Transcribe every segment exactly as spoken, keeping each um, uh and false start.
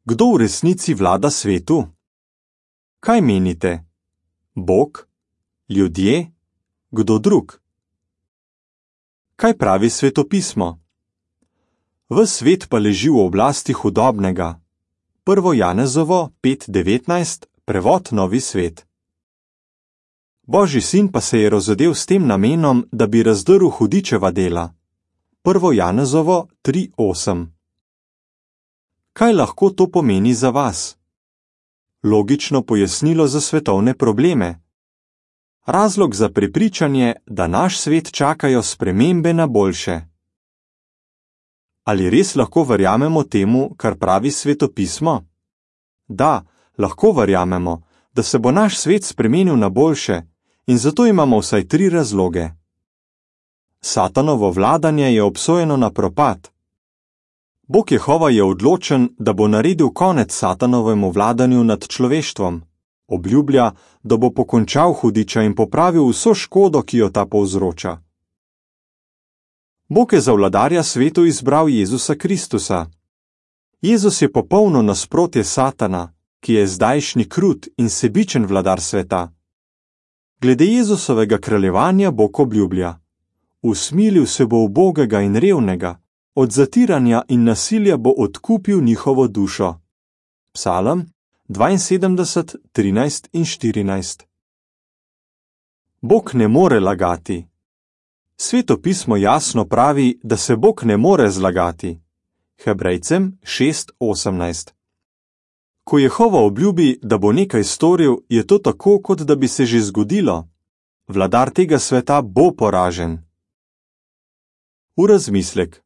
Kdo v resnici vlada svetu? Kaj menite? Bog? Ljudje? Kdo drug? Kaj pravi svetopismo? Ves svet pa leži v oblasti hudobnega. Prvo Janezovo pet devetnajst, prevod Novi svet. Božji sin pa se je rozodel s tem namenom, da bi razdrl hudičeva dela. Prvo Janezovo tri osem. Kaj lahko to pomeni za vas? Logično pojasnilo za svetovne probleme. Razlog za prepričanje, da naš svet čakajo spremembe na boljše. Ali res lahko verjamemo temu, kar pravi svetopismo? Da, lahko verjamemo, da se bo naš svet spremenil na boljše, in zato imamo vsaj tri razloge. Satanovo vladanje je obsojeno na propad. Bog Jehova je odločen, da bo naredil konec Satanovemu vladanju nad človeštvom. Obljublja, da bo pokončal hudiča in popravil vso škodo, ki jo ta povzroča. Bog je za vladarja svetu izbral Jezusa Kristusa. Jezus je popolno nasprotje Satana, ki je zdajšnji krut in sebičen vladar sveta. Glede Jezusovega kraljevanja Bog obljublja: usmilil se bo ubogega in revnega, od zatiranja in nasilja bo odkupil njihovo dušo. Psalm dvainsedemdeset, trinajst in štirinajst. Bog ne more lagati. Svetopismo jasno pravi, da se Bog ne more zlagati. Hebrejcem šest osemnajst. Ko Jehova obljubi, da bo nekaj storil, je to tako, kot da bi se že zgodilo. Vladar tega sveta bo poražen. V razmislek.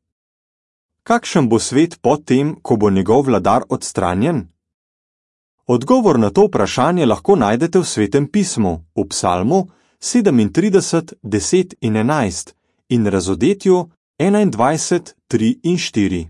Kakšen bo svet po tem, ko bo njegov vladar odstranjen? Odgovor na to vprašanje lahko najdete v Svetem pismu, v Psalmu sedemintrideset, deset in enajst in Razodetju enaindvajset, tri in štiri.